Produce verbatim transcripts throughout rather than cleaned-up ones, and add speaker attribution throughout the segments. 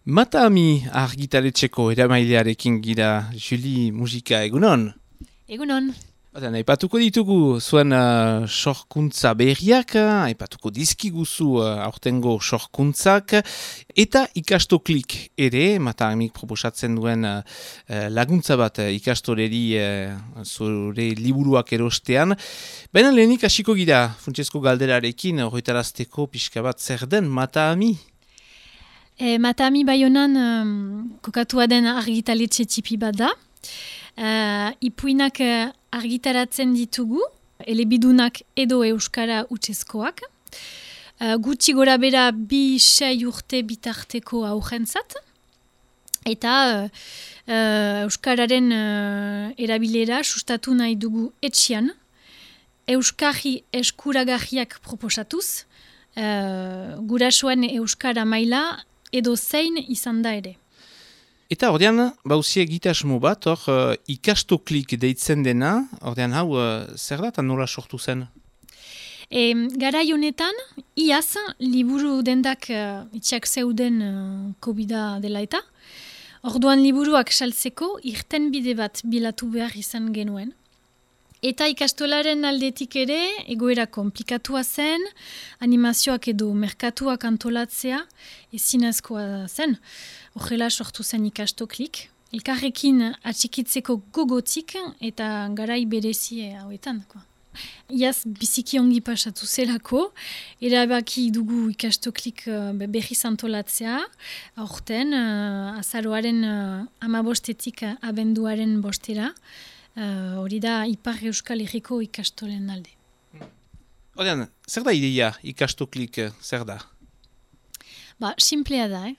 Speaker 1: Mataami argitaletxeko eramailearekin gira Juli musika egunon.
Speaker 2: Egunon.
Speaker 1: Baina, aipatuko ditugu zuen uh, sorkuntza berriak, aipatuko dizkiguzu uh, aurtengo sorkuntzak, eta ikastoklik ere, Mataamik proposatzen duen uh, laguntza bat uh, ikastoreri uh, zure liburuak erostean. Baina lehenik hasiko gira, funtsezko galderarekin, horretarazteko pixka bat zer den Mataami?
Speaker 2: E, Mataami Baionan um, kokatua den argitaletxe tipi bat da. Uh, ipuinak uh, argitaratzen ditugu, elebidunak edo euskara utzezkoak. Uh, gutxi gora bera bi sei urte bitarteko aurrentzat. Eta uh, uh, euskararen uh, erabilera sustatu nahi dugu etxian. Euskarri eskuragarriak proposatuz, uh, gurasoen euskara maila edo zein izan da ere.
Speaker 1: Eta ordean, bauzie egitasmo bat, hor uh, ikastoklik deitzen dena, ordean hau, uh, zer da eta nola sortu zen?
Speaker 2: E, garai honetan, iaz, liburu dendak uh, itxak zeuden uh, kobida dela eta, orduan liburuak saltzeko irten bide bat bilatu behar izan genuen. Eta ikastolaren aldetik ere, egoera komplikatua zen, animazioak edo merkatuak antolatzea ezinezkoa zen. Horrela sortu zen ikastoklik. Elkarrekin atxikitzeko gogotik eta garai berezi hauetan. Iaz biziki ongi pasatu zelako, erabaki dugu ikastoklik uh, berriz antolatzea, aurten uh, azaroaren uh, amabostetik uh, abenduaren bostera, hori uh, da Ipar Euskal Herriko ikastolen alde.
Speaker 1: Ordean, zer da ideia ikastoklik, zer da?
Speaker 2: Ba, simplea da, eh?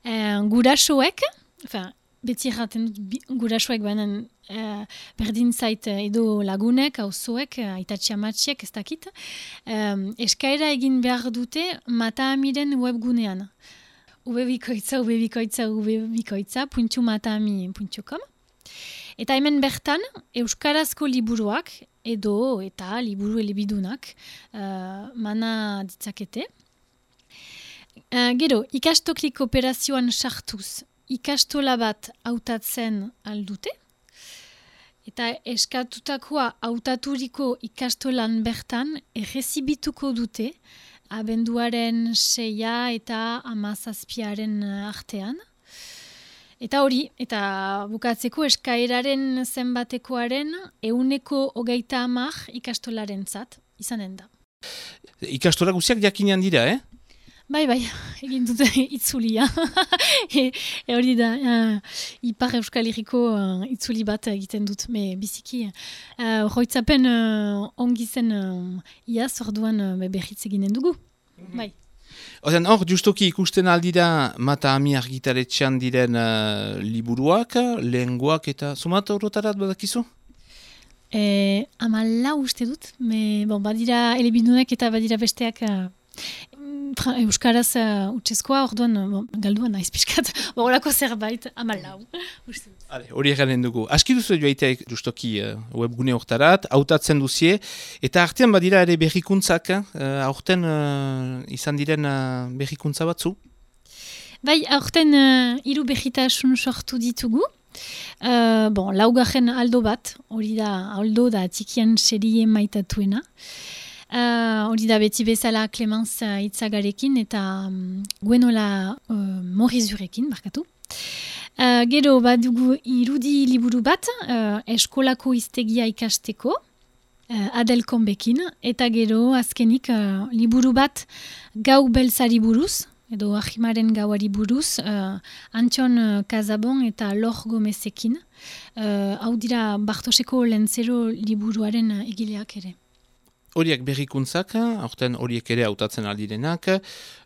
Speaker 2: E, gurasoek, enfin, beti erraten dut gurasoek banan e, berdin zait edo lagunek, auzoek, aitatxe amatxiek, ez dakit, e, eskaera egin behar dute Mataamiren webgunean. ubebikoitza, ubebikoitza, ubebikoitza, puntu mataami puntu com. Eta hemen bertan, euskarazko liburuak edo eta liburu elebidunak uh, mana ditzakete. Uh, gero, ikastoklik operazioan sartuz, ikastola bat hautatzen aldute. Eta eskatutakoa hautaturiko ikastolan bertan errezibituko dute abenduaren seia eta hamazazpiaren artean. Eta hori, eta bukatzeko eskaeraren zenbatekoaren ehuneko hogeita hamar ikastolaren zat izanen da.
Speaker 1: Ikastola guziak jakinean dira, eh?
Speaker 2: Bai, bai, egin dute itzulia. e, e hori da, uh, Ipar Euskal Herriko uh, itzuli bat egiten dut, me biziki. Uh, Roitzapen uh, ongi zen uh, iaz, orduan uh, berriz eginen dugu. Mm-hmm. Bai.
Speaker 1: Ozen, hor, justoki ikusten aldira Mataami argitaletxean diren uh, liburuak, lehengoak eta sumat horretarat badakizu?
Speaker 2: E, Amala uste dut, me, bon, badira elebidunak eta badira besteak uh, euskaraz uh, utzezkoa, orduan bon, galduan naiz pixkat, horrelako zerbait, amalau.
Speaker 1: Hale, hori egaren dugu. Aski duzu joaitek justoki uh, webgune hortarat, hautatzen duzie, eta artean badira ere berrikuntzak, uh, aurten uh, izan diren uh, berrikuntza batzu?
Speaker 2: Bai, aurten uh, hiru berritasun sortu ditugu. Uh, bon, laugarren aldo bat, hori da aldo da tikian serie maitatuena. Uh, hori da beti bezala Clemence uh, Itzagarekin eta um, Gwenola uh, Morizurekin, barkatu. Uh, gero badugu irudi liburu bat, uh, eskolako iztegia ikasteko, uh, Adel Konbekin, eta gero azkenik uh, liburu bat gau beltzari buruz, edo ahimaren gauari buruz, uh, Antxon uh, Kazabon eta Lor Gomezekin. Uh, hau dira Bartoseko Lentzero liburuaren uh, egileak ere.
Speaker 1: Horiek berrikuntzak, aurten horiek ere hautatzen aldirenak.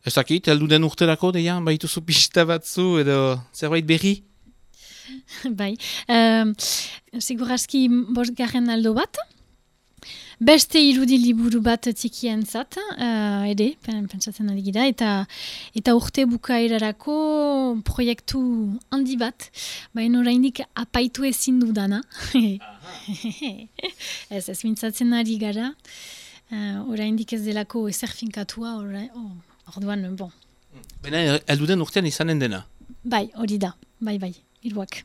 Speaker 1: Ez dakit, heldu den urterako, deia, baituzu pista batzu edo zerbait berri?
Speaker 2: Bai, uh, segurazki bost garen aldo bat. Beste irudi liburu bat tikien zat, uh, ere, pentsatzen ari gira, eta, eta urte bukaerarako proiektu handi bat, baina oraindik apaitu ezin dudana. ez, ez mintzatzen ari gara, uh, oraindik ez delako ezer finkatua, ora, oh, orduan, bon.
Speaker 1: Baina, elduden urtean izanen dena?
Speaker 2: Bai, hori da, bai, bai, hiruak.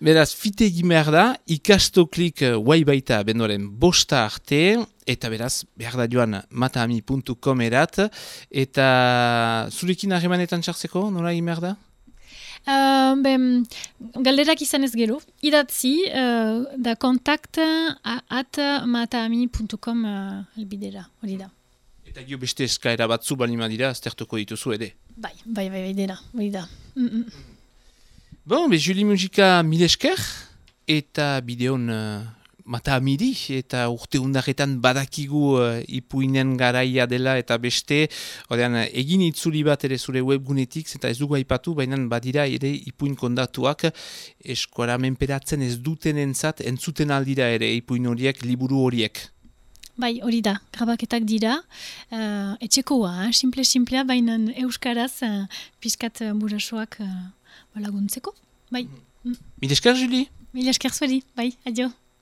Speaker 1: Beraz, fite egin behar da, ikastoklik guai baita bendoren bosta arte, eta beraz, behar da joan mataami puntu com erat, eta zurekin harremanetan txartzeko, nola egin behar da?
Speaker 2: Uh, ben, galderak izan ez gero, idatzi, uh, da kontakt at mataami puntu com uh, albidera, hori da.
Speaker 1: Eta gio beste eskaera batzu balima dira, aztertuko dituzu ere.
Speaker 2: Bai, bai, bai, bai, dena, hori da. Mm -mm.
Speaker 1: Bon, be, Julie Mujika mil esker, eta bideon uh, mata amiri, eta urte undarretan badakigu uh, ipuinen garaia dela, eta beste, odean, egin itzuli bat ere zure webgunetik, eta ez dugu aipatu, baina badira ere ipuin kondatuak, eskuara menperatzen ez duten entzat, entzuten aldira ere ipuin horiek, liburu horiek.
Speaker 2: Bai, hori da, grabaketak dira, uh, etxekoa, eh? simple-simplea, baina euskaraz uh, pizkat uh, burasoak uh, laguntzeko, bai.
Speaker 1: Mil esker, Julie?
Speaker 2: Mil esker zueri, bai, adio.